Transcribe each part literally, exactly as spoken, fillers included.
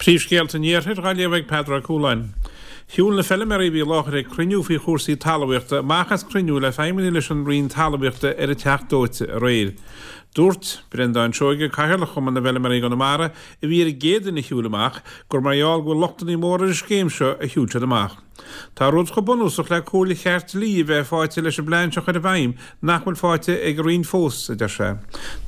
Príomhscéalta an Iarthair á léamh ag Peadar Ó Cualáin. Shiúil na feilméaraí a bhí i láthair ag cruinniú faoi chúrsaí talmhaíochta amach as cruinniú le feidhmeannaigh leis an Roinn Talmhaíochta ar an Teach Dóite aréir. Dúirt Breandán Seoige, Cathaoirleach Chumann na bhFeilméaraí i gConamara, a bhí ar an gcéad duine a shiúil amach, gur mar gheall go bhfuil lochtanna móra ar an scéim seo a shiúil siad amach. Tá rud chomh bunúsach le comhairle cheart dlí a bheith faighte leis an bplean seo a chur i bhfeidhm nach bhfuil faighte ag an Roinn fós, a deir sé.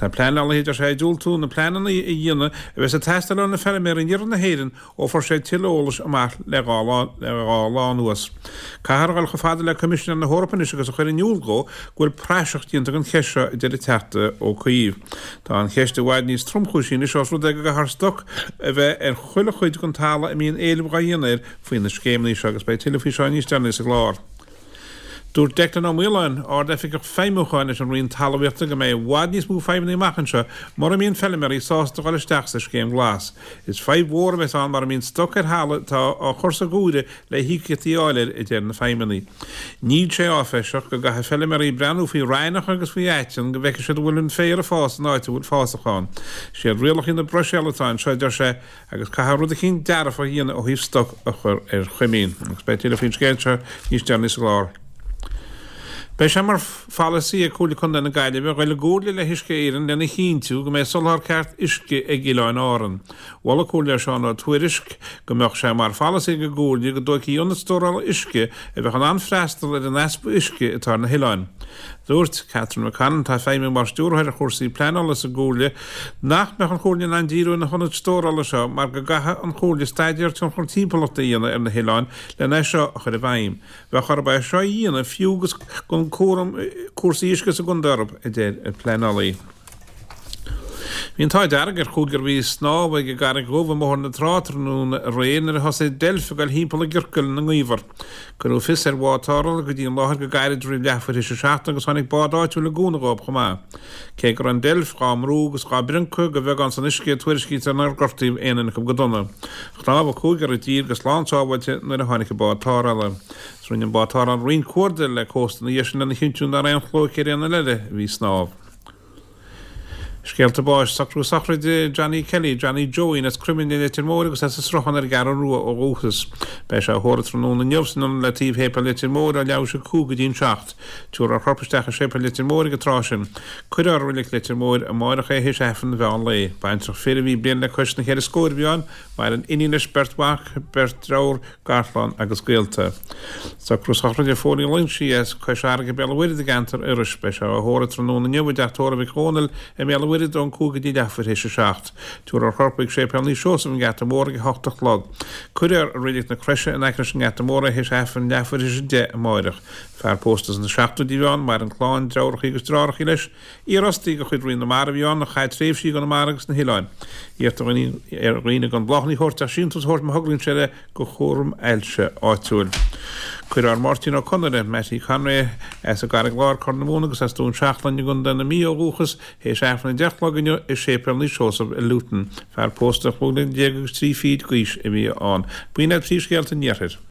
Tá pleanálaithe, a deir sé, ag diúltú na pleananna a dhéanamh a bheas ag teastáil ó na feilméaraí in iarthar na hÉireann ó fuair sé tuilleadh eolais amach le dhá lá le dhá lá anuas. Caithfear a dhul chomh fada le Coimisinéir na hEorpa anois agus a chur in iúl dhó go bhfuil praiseach déanta den cheist seo, a deir an Teachta Ó Cuív. Tá an cheist i bhfad níos tromchúisí anois ós rud é go gcaithfear stoc a bheith ar chuile chuid den talamh a mbíonn éileamh dhá dhéanamh air faoi na scéimeanna seo agus beidh tuilleadh faoi seo níos deireanaí sa gclár. Dúirt Declan Ó Maoláin, Ard-Oifigeach Feidhmiúcháin leis an Roinn Talmhaíochta go mbeidh i bhfad níos mó fadhbanna amach anseo mura mbíonn feilméaraí sásta dhul isteach sa Scéim Ghlas. Is fadhb mhór a bheas ann mura mbíonn stoc ar thalamh atá á chur sa ghiúire le híocaíochtaí a fháil air, a deir na feidhmeannaigh. Níl sé áiféiseach go gcaithfidh feilméaraí breathnú faoi raithneach agus faoi aiteann go bhfeicfidh siad an bhfuil an féar ag fás in áit a bhfuil fásach ann. Siad rialacha na Bruiséile atá anseo, a deir sé, agus caithfear rud eicínt dearfach a dhéanamh ó thaobh stoc a chur ar choimín. Agus beidh tuilleadh faoin scéal seo níos deireanaí sa gclár. Beidh sé mar pholasaí ag Comhairle Contae na Gaillimhe dhul i gcomhairle le hUisce Éireann lena chinntiú go mbeidh soláthar ceart uisce ag Oileáin Árann. Mhol an Comhairleoir Seán Ó Tuairisg go mbeadh sé mar pholasaí ag an gComhairle go dtógfaí ionad stórála uisce a bheadh in ann freastal ar an easpa uisce atá ar na hoileáin. Dúirt Catherine McConnon, atá ag feidhmiú mar stiúrthóir ar chúrsaí pleanála sa gComhairle, nach mbeadh an Chomhairle in ann díriú ar na hionaid stórála seo mar go gcaithfeadh an Chomhairle staidéar tionchar timpeallachta a dhéanamh ar na hoileáin lena é seo a chur i bhfeidhm. Bheadh orthu é seo a dhéanamh fiú agus gan cúram cúrsaí uisce sa gcontae orthu, a deir an pleanálaí. Bhí an t-ádh dearg ar chúigear a bhí ag snámh ag an gCarraig Dhubh i mBóthar na Trá tráthnóna aréir nuair a thosaigh deilf ag dul thimpeall i gciorcal ina ngaobhar. Cuireadh fios ar bhád tarrthála go dtí an láthair go gairid roimh leathuair théis a seacht agus tháinig bád áitiúil i gcúnamh dhóibh chomh maith. Cé go raibh an deilf dhá mbrú agus dhá briocadh go bheagán san uisce tuairiscítear nár gortaíodh aon duine acu go dona. Shnámh an cúigear i dtír go slán sábháilte nuair a tháinig an bád tarrthála. Rinne an bád tarrthála roinnt cuardaigh le cósta ina dhiaidh sin lena chinntiú nach raibh aon chlóic ar aon duine eile a bhí ag snámh. Scéalta báis, Socrú sochraide Johnny Kelly, Johnny Joeín as Croimlinn i Leitir Móir agus as an Sruthán ar an gCeathrú Rua ó dhúchas. Beidh sé á thórramh tráthnóna inniu san ionad le taobh Shéipéal Leitir Móir ó leathuair théis a cúig go dtí an seacht. Tabharfar a chorp isteach i Séipéal Leitir Móir ag an tráth sin. Cuirfear i Reilig Leitir Móir amáireach é théis Aifreann an mheán lae. Baintreach fir a bhí bliain le cois na ceithre scóir a bhí ann, maireann iníon leis, beirt mhac, beirt dearthár, garchlann agus gaolta. Socrú sochraide Phóilín Loingsigh as Cois Fharraige, Béal an Mhuirthead i gceantar Iorrais. Beidh sé á thórramh tráthnóna inniu i dteach tórraimh Mhic Dhónaill i mBéal an Mhuirthead ón cúig go dtí leathuair théis a seacht. Tabharfar a chorp chuig Séipéal Naomh Seosamh an Geata Mór ag a hocht a chlog. Cuirfear i Reilig na Croise in aice leis an nGeata Mór é théis Aifreann leathuair théis a deich amáireach. Fear pósta sna seachtóidí a bhí ann, maireann clann, deartháireacha agus deartháireacha leis. Iarfhostaí de chuid Roinn na Mara a bhí ann, a chaith tréimhsí i gConamara agus sna hoileáin. Iarrtar ar dhaoine gan bláthanna a thabhairt ach síntiús a thabhairt má thograíonn sé le do chúram ailse áitiúil. Cuirfear Máirtín Ó Conaire, Mattie Conway, as an gCarraig Láir, Corr na Móna agus as Dún Seachlainn i gContae na Mí ó dhúchas, théis Aifreann a deich a chlog inniu i Séipéal Naomh Seosamh i Luton. Fear pósta chúig bliana déag agus trí fichid d'aois a bhí ann. B'in iad príomhscéalta an Iarthair.